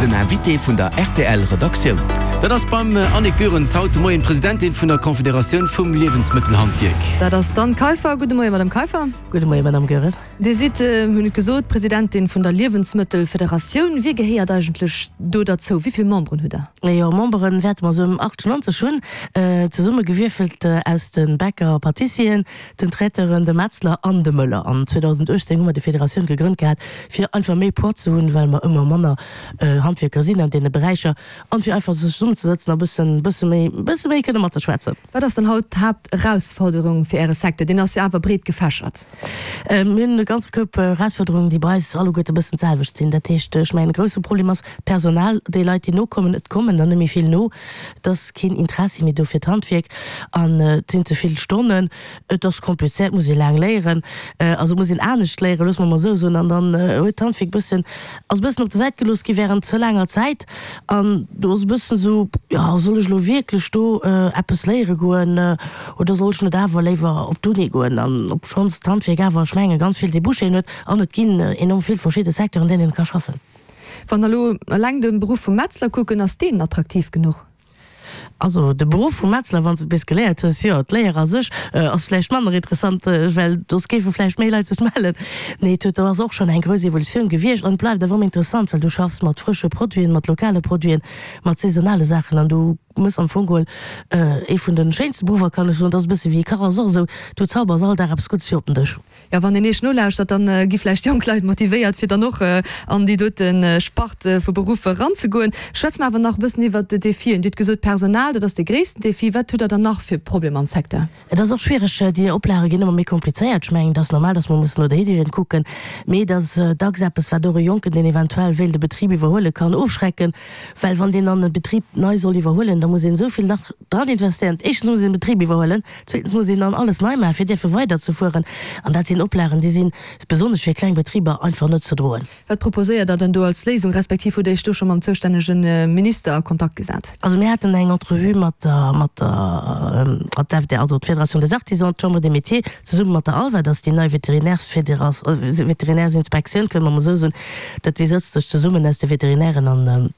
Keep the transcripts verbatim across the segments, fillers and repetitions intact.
Den Invité vun der rtl Redaktioun. Dat ass beim Annick Goerens haut de Moien, d'Presidentin vun der Confederatioun vum Liewensmëttelhandwierk. Dat ass d'Anne Kaiffer. Gudde Moien, Madame Kaiffer. Gudde Moien, Madame Goerens. Dir sidd, hunn et gesot, Presidentin vun der Liewensmëttelfederatioun. Wie gehéiert eigentlech do derzou? Wéi vill Memberen hutt Der? Jo, Memberen wäerte mer esou ëm achtundneunzeg hunn, zesummegewierfelt aus de Bäcker a Pâtissieren, den Traiteuren, de Metzler an de Mëller. An zweedausendachtzéng hu mer déi Federatioun gegrënnt gehat, fir einfach méi Poids ze hunn, well mer ëmmer manner Handwierker sinn an deene Beräicher, an fir einfach sech zesummenzesëtzen a bëssen, bësse méi, bësse méi kënne matzeschwätzen. Wat ass dann haut d'Haapterausforderung fir Äre Secteur? Deen ass jo awer breet gefächert. Mir hunn e ganze Koup Erausforderungen, déi bei eis alleguerte e bëssen d'selwecht sinn. Dat heescht, ech mengen, e grousse Problem ass d'Personal, déi Leit, déi nokommen. Et kommen der net méi vill no. Et ass keen Interessi méi do fir d'Handwierk an et sinn ze vill Stonnen. Et ass komplizéiert, et muss ee laang léieren, also et muss een anescht léieren, loosse mer emol esou soen. An dann huet d'Handwierk e bëssen, ass e bëssen op der Säit gelooss gi während ze laanger Zäit. An do ass e bëssen esou, jo, soll ech elo wierklech do eppes léiere goen oder soll ech net awer léiwer op d'Uni goen? An obschonns d'Handwierk awer, ech mengen, ganz vill Débouchéen huet an et ginn enorm vill verschidde Secteuren, an deenen een ka schaffen. Wann der elo eleng de Beruff vum Metzler kucken, ass deen attraktiv genuch? Also de Beruff vum Metzler, wann s de et bis geléiert hues, jo. D'Léier a sech ass vläicht manner interessant, well soss géife vläicht méi Leit sech mellen. Nee, et huet, do ass och schonn eng grouss Evolutioun gewiescht an et bleift awer ëmmer interessant, well du schaffs mat frësche Produiten, mat lokale Produiten, mat saisonale Saachen an du mëss am Fong geholl ee vun de schéinste Beruffer, kann ech soen. Et ass e bësse wéi e Kach ass och esou, du zaubers all Dag eppes Guddes fir op den Dësch. Jo, wann een Iech nolauschtert, dann gi vläicht jonk Leit motivéiert, fir dann och an déi dote Spart vu Beruff eranzegoen. Schwätze mer awer nach e bëssen iwwert d'Defien. Dir hutt gesot, Personal, dat ass dee gréissten Defi. Wat hutt Der dann nach fir Problemer am Secteur? Et ass och schwiereg, déi Oplage ginn ëmmer méi komplizéiert. Ech mengen, et ass normal, datt mer mussen no der Hygiène kucken, mee et ass dacks eppes, wat och e Jonken, deen eventuell wéilt e Betrib iwwerhuelen, kann ofschrecken, well wann deen dann e Betrib nei soll iwwerhuelen, da muss een esou vill nach dran investéieren. Éischtens muss een de Betrib iwwerhuelen, zweetens muss een dann alles nei maachen, fir dierfe weiderzefueren. An dat sinn Oplagen, déi sinn, besonnesch fir kleng Betriber, einfach net ze droen. Wat proposéiert Der dann do als Léisung, respektiv hutt Der Iech do scho mam zoustännege Minister a Kontakt gesat? Also mir haten eng Entrevue mat der, mat der, mat der F D A, also d'Fédération des Artisans, d'Chambre des Métiers, zesumme mat der ALVA, dat ass déi nei Veterinärsfédération, Veterinärsinspektioun, kënne mer emol esou soen, dat déi sëtzt sech zesummen aus de Veterinären an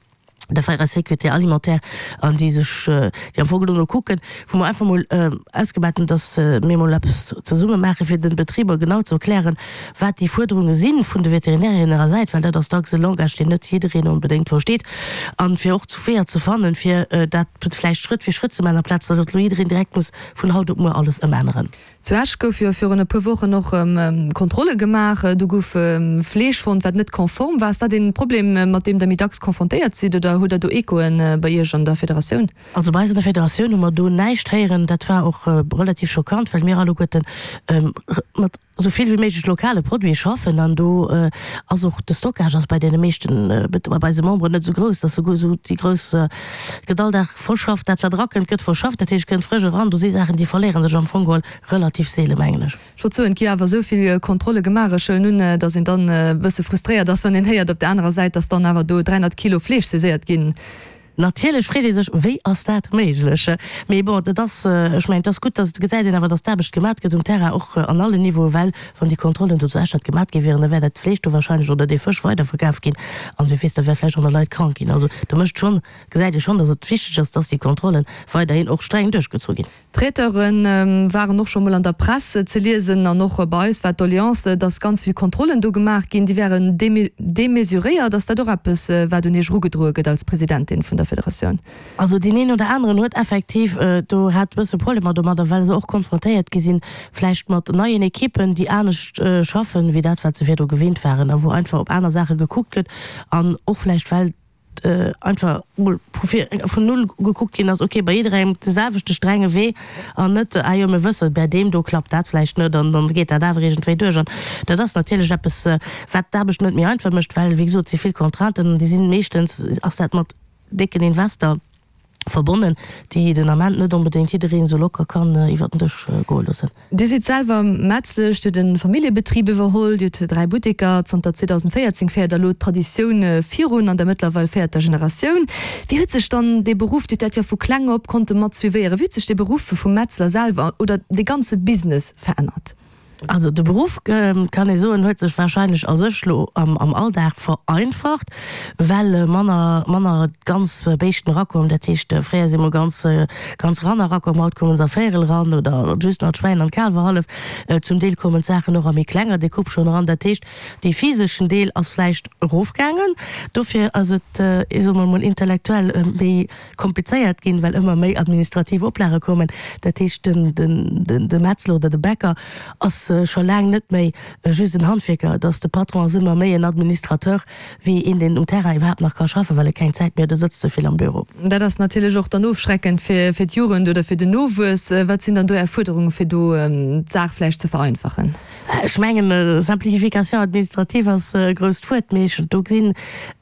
der freier Sécurité alimentaire an déi sech, déi am Fong genommen elo kucken, wou mer einfach emol ausgemaat hunn, dass mir emol eppes zesumme maachen, fir de Betriber genau ze erklären, wat déi Fuerderunge si vun de Veterinären hirer Säit, well dat ass dacks e Langage, deen net jiddereen onbedéngt versteet, an fir och Weeër ze fannen, fir dat vläicht Schrëtt fir Schrëtt ze maachen, amplaz datt elo jiddereen direkt muss vun haut op muer alles ëmänneren. Zu Esch gouf jo virun e puer Wochen och Kontrolle gemaach. Do gouf Fleesch fonnt, wat net konform war. Ass dat een Problem, mat deem Der méi dacks konfrontéiert sidd oder hutt Der do Echoen bei Iech an der Federatioun? Also bei eis an der Federatioun hu mer do näischt héieren. Dat war och relativ schockant, well mir alleguerten mat esou vill wéi méiglech lokale Produite schaffen an do ass och de Stockage ass bei deene meeschten, bei eise Memberen net esou grouss, dass se esou déi grouss, et gëtt all Dag verschafft, dat wat erakënnt gëtt verschafft, dat heescht et kënnt frësch eran. Do si Saachen déi verléiere sech am Fong geholl relativ seelen, mengen ech. Ech wollt soen, et gi awer esou vill Kontrolle gemaach, ech huelen un, dass een dann e bësse frustréiert ass, wann een héiert op der anerer Säit, dass dann awer do dräihonnert Kilo Fleesch saiséiert ginn. Natierlech freet ee sech, Wéi ass dat méiglech? Mee bon, et ass, ech mengen, et ass gutt, dass et gesäit een awer, dass d'Aarbecht gemat gëtt um Terrain, och an allen Niveauen, well wann déi Kontrollen do zu Esch net gemat gi wieren, da wär dat Fleesch do wahrscheinlech oder dee Fësch weiderverkaf ginn an wie weess, da wär vläicht och nach Leit krank ginn. Also do mécht schonn, gesäit ee schonn, dass et wichteg ass, dass déi Kontrollen weiderhin och streng duerchgezu ginn. D'Traiteure waren och scho mol an der Press ze liesen an och bei eis war d'Doleance, dass ganz vill Kontrollen do gemaach ginn, déi wären demesuréiert. Ass dat och eppes, wat un Iech erugedroe gëtt als Presidentin vun der Federatioun? Also deen een oder aneren huet effektiv do hat e bësse Problemer domadder, well se och konfrontéiert gi sinn vläicht mat neien Ekippen, déi anescht schaffen, wéi dat, wat se virdru gewinnt waren a wou einfach op aner Saache gekuckt gëtt an och vläicht well einfach mol vu vir vun null gekuckt ginn ass, ok, bei jidderengem de selwechte strenge Wee an net, ah jo, mir wëssen, bäi deem do klappt dat vläicht net an dann geet dat awer iergendwéi duerch. An dat ass natierlech eppes, wat d'Aarbecht net méi einfach mécht, well, wéi gesot, et si vill Contrainten an déi sinn meeschtens ass dat mat décken Invester verbonnen, déi den Ament net onbedéngt jiddereen esou locker kann iwwer den Dësch goe loossen. Dir sidd selwer Metzlesch, Dir hutt e Familljebetrib iwwerholl, Dir hutt dräi Butteker. Zanter zweedausendvéierzéng féiert Der elo d'Traditioun virun an der mëttlerweil véierter Generatioun. Wéi huet sech dann dee Beruff, Dir hutt dat jo vu kleng op konnte mat suivéieren, wéi huet sech dee Beruff vum Metzler selwer oder dee ganze Business verännert? Also de Beruff, kann ee soen, huet sech warscheinlech a sech lo am Alldag vereinfacht, well manner, manner ganz Béischten erakommen. Dat heescht, fréier si mol ganz, ganz Ranner erakomm, haut kommen se a Véierel eran oder just nach d'Schwäin an d'Kaalwer hallef. Zum Deel kommen d'Saachen och a méi klenger Decoupe schonn eran. Dat heescht, dee physeschen Deel ass vläicht erofgaangen. Dofir ass et, soe mer mol, intellektuell méi komplizéiert ginn, well ëmmer méi administrativ Oplage kommen. Dat heescht, den, den, de Metzler oder de Bäcker ass scho laang net méi just en Handwierker, et ass de Patron ass ëmmer méi en Administrateur wéi een, deen um Terrain iwwerhaapt nach ka schaffen, well e keng Zäit méi huet, e sëtzt ze vill am Büro. Dat ass natierlech och dann ofschreckend fir, fir d'Jugend oder fir den Nowuess. Wat sinn dann do Är Fuerderunge fir do d'Saach vläicht ze vereinfachen? Ech mengen, Simplification administrative ass e grousst Wuert, mee ech do gesinn,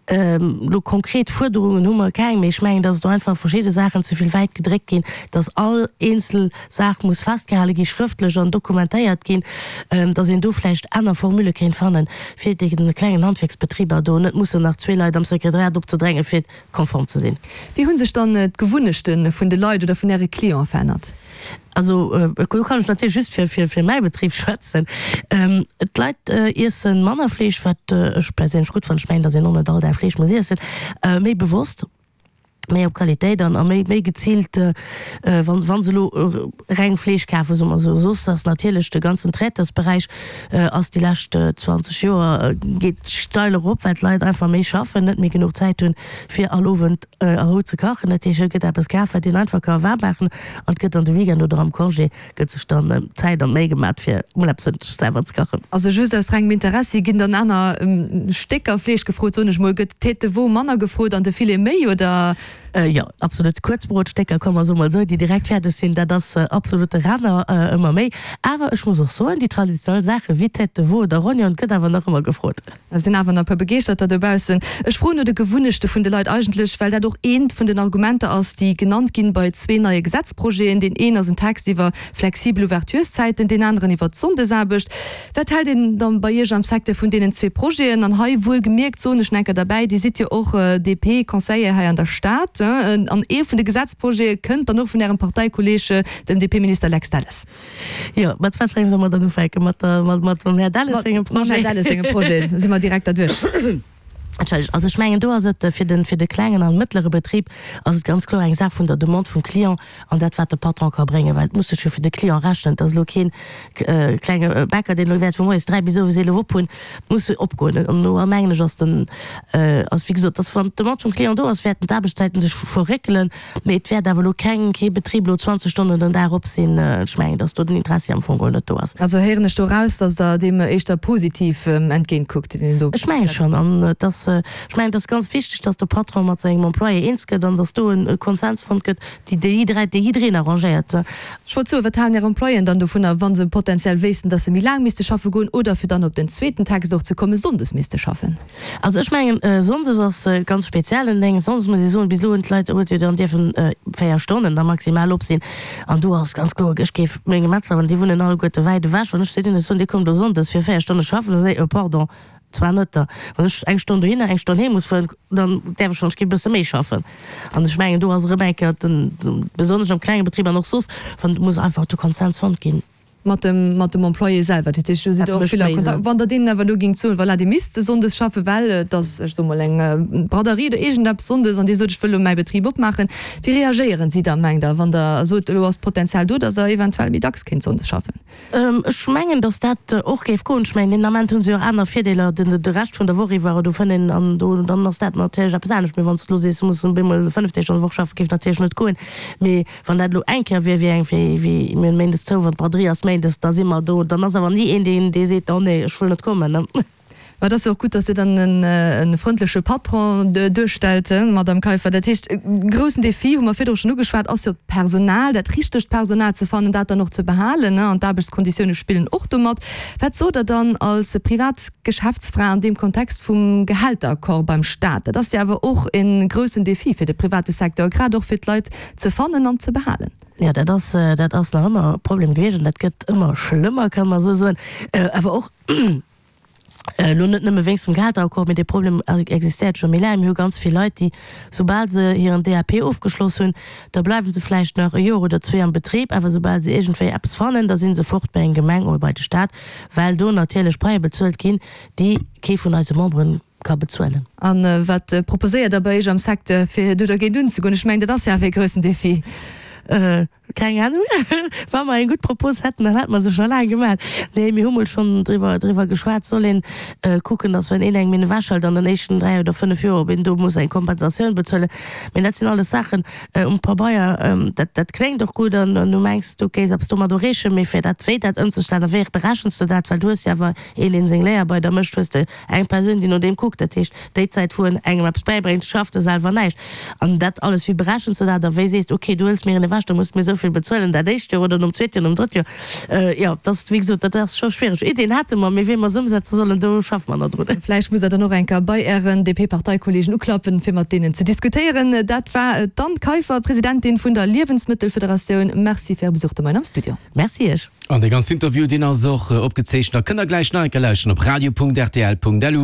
Elo konkret Fuerderungen hu mer keng, mee ech mengen, datt do einfach verschidde Saachen ze vill wäit gedréckt ginn, datt all eenzel Saach muss festgehale gi schrëftlech an dokumentéiert ginn, datt een do vläicht aner Formule kéint fannen, fir deene klengen Handwierksbetriber do net mussen nach zwee Leit am Sekretariat opzedrängen, fir konform ze sinn. Wéi hu sech dann d'Gewunnechte vun de Leit oder vun Äre Cliente verännert? Also do kann ech natierlech just fir fir mäi Betrib schwätzen. D'Leit iesse manner Fleesch, wat ech perséinlech gutt fannen. Ech mengen, datt een och net all Dag Fleesch muss iessen. Méi bewosst, méi op Qualitéit an a méi méi geziilt, wa wa se elo reng Fleesch kafen, soe mer esou. Soss ass natierlech de ganzen Traiteursberäich ass déi lescht zwanzeg Joer geet steil erop, well d'Leit einfach méi schaffen, net méi genuch Zäit hunn, fir all Owend a Rou ze kachen. Dat heescht, et gëtt eppes kaf, wat een einfach ka waarm maachen an et gëtt an de Weekend oder am Congé gëtt sech dann d'Zäit an d'Méi gemat, fir emol eppes sech selwer ze kachen. Also just aus rengem Interessi, ginn dann aner Stécker Fleesch gefrot, soen ech mol, gëtt d'Tête de veau manner gefrot an de Filet méi, oder? Jo, absolut. Kuerzbrotstécker, komm mer soe mol esou, déi direkt fäerdeg sinn, dat ass absolut de Renner, ëmmer méi. Awer ech muss och soen, déi traditionell Saache wéi Tête de veau oder Rognon gëtt awer nach ëmmer gefrot. Et sinn awer nach e puer Begeeschterter dobaussen. Ech froen no de Gewunnechte vun de Leit eigentlech, well dat och eent vun den Argumenter ass, déi genannt ginn bei zwee neie Gesetzprojeten. Deen een ass en Text iwwer flexibel Ouvertureszäiten, deen aneren iwwer d'Sonndesaarbecht. Wat hält een dann bei Iech am Secteur vun deenen zwee Projeten? An hei wuelgemierkt soen ech nach eng Kéier derbäi, Dir sidd jo och D P-Conseiller hei an der Stad, an ee vun de Gesetzprojete kënnt dann och vun Ärem Parteikolleeg, dem D P-Minister Lex Delles. Jo, mat wat fir engem solle mer dann ufänken? Mat der, mat, mat mam Här Delles sengem Projet? Mam Här Delles sengem Projet si mer direkt derduerch. Entschëllegt. Also ech mengen, do ass et fir den, fir de klengen an mëttlere Betrib ass et ganz kloer eng Saach vun der Demande vum Client an dat, wat de Patron ka bréngen, well et muss sech jo fir de Client rechnen. Et ass elo keen klenge Bäcker, deen elo wäert vu moies dräi bis owes eelef op hunn. Et muss opgoen. An do mengen ech, ass den, ass wéi gesot, dass wann d'Demande vum Client do ass, wäerten d'Aarbechtszäiten sech verréckelen. Mee et wäert awer elo keng, kee Betrib elo zwanzeg Stonnen den Dag op sinn. Ech mengen, dass do den Interessi am Fong geholl net do ass. Also héieren ech do eraus, dass Der deem éischter positiv entgéint kuckt, deen do. Ech menge schonn. An et ass, ech mengen, et ass ganz wichteg, dass de Patron mat sengem Employé eens gëtt an dass do e Konsens fonnt gëtt, déi déi jidderee, dee jiddereen arrangéiert. Ech wollt soen, wat halen Är Employéen dann dovunner, wa se potenziell wéissten, dass se méi laang misste schaffe goen oder, fir dann op den zweeten Text och ze kommen, sonndes misste schaffen? Also ech mengen, sonndes ass ganz speziell en Déng. Sonndes muss ee soen, bis elo hunn d'Leit, huet jo dann dierfen véier Stonnen da maximal op sinn. An do ass ganz kloer, ech géif menge Metzler, well déi wunnen alleguerte wäit ewech, wann ech zu deene soen, Dir kommt elo sonndes fir véier Stonne schaffen, da soen si, Oh pardon, zwar net da. Wann ech eng Stonn dohinner, eng Stonn heem muss fueren, dann däerf ech schonn, ech géif e bësse méi schaffen. An ech mengen, do ass erëm eng Kéier den, besonnesch am klenge Betrib an och soss, wann, muss einfach de Konsens fonnt ginn. Mat dem, mat dem Employé selwer. Dat heescht, do sidd Der och vill am Kontakt. Wann Der deenen awer elo géingt soen, voilà, Dir misst sonndes schaffen, well et ass, ech soe mol, eng Braderie oder iergendeppes sonndes an Dir sot, ech wëll elo mäi Betrib opmaachen, wéi reagéieren si da, mengt Der, wann Der sot, elo ass d'Potenzial do, datt Der eventuell méi dacks kéint sonndes schaffen? Ech mengen, datt dat och géif goen. Ech mengen, deen Ament hu se jo och aner Virdeeler den, de Rescht vun der Woch iwwer oder fënn een an do, dann ass dat natierlech eppes anescht. Mee wann s de elo sees, du muss op eemol fënnef Deeg an der Woch schaffen, géif natierlech net goen. Mee Wann dat elo eng Kéier wier, wéi eng, wéi, wéi mir hunn méindes zou, wann d'Braderie ass méindes, da si mer do. Dann ass awer ni een, deen, dee seet, oh nee, ech wëll net kommen, ne. Mä et ass jo och gutt, datt Dir dann e frëndleche Patron duerstellt, Madamm Kaiffer. Dat heescht, e groussen Defi, hu mer virdru schonn ugeschwat, ass jo d'Personal, dat richtegt Personal ze fannen, dat dann och ze behalen, an d'Aarbechtskonditioune spillen och do mat. Wat sot Der dann als privat Geschäftsfra an deem Kontext vum Gehälteraccord beim Staat? Dat ass jo awer och e groussen Defi fir de private Secteur, grad och fir d'Leit ze fannen an ze behalen. Jo, dat ass, dat ass nach ëmmer e Problem gewiescht an dat gëtt ëmmer schlëmmer, kann mer esou soen. Awer och, Elo net nëmme wéinst dem Gehälteraccord, mee dee Problem existéiert scho méi laang. Mir hu ganz vill Leit, déi, soubal se hiren D A P ofgeschloss hunn, da bleiwe se vläicht nach e Joer oder zwee am Betrib, awer soubal se iergendwéi eppes fannen, da si se fort bei eng Gemeng oder bei de Staat, well do natierlech Paie bezuelt ginn, déi kee vun eise Membere ka bezuelen. A wat proposéiert Der bei Iech am Secteur, fir do dergéint unzegoen? Ech mengen, dat ass jo awer ee groussen Defi. Keng Ahnung. Wa mer eng gutt Propos hätten, dann hätte mer se scho laang gemaach. Nee, mir hu mol schonn driwwer, driwwer geschwat, soll een kucken, datt wann een engem een ewechhëlt an den éischten dräi oder fënnef Joer, ob een do muss eng Kompensatioun bezuelen. Mee dat sinn alles Saachen um Pabeier, dat, dat kléngt och gutt an du mengs, du kéis eppes domat erreechen, mee fir dat, wéi dat ëmzestellen a wéi berechens de dat, well du hues jo awer een, deen seng Léier bei der mécht, hues de eng Persoun, déi no deem kuckt, dat heescht, déi Zäit, wou en engem eppes bäibréngt, schafft e selwer näischt. An dat alles, wéi berechens de dat a wéi sees de, okay, du hëls mir en ewech, da muss de mir esou vill bezuelen, dat éischt Joer oder nom zweete Joer, nom drëtt Joer. Jo, dat ass, wéi gesot, dat ass scho schwiereg. Iddien hate mer, mee wéi mer se ëmsetze sollen, do schaffe mer nach drun. Vläicht musst Der dann och eng Kéier bei Ären D P-Parteikolleegen uklappen, fir mat deenen ze diskutéieren. Dat war d'Anne Kaiffer, Presidentin vun der Liewensmëttelfederatioun. Merci fir Äre Besuch de Moien am Studio. Merci Iech. An dee ganzen Interview, deen ass och opgezeechent a kënnt Der gläich nach eng Kéier lauschteren op radio punkt rtl punkt lu.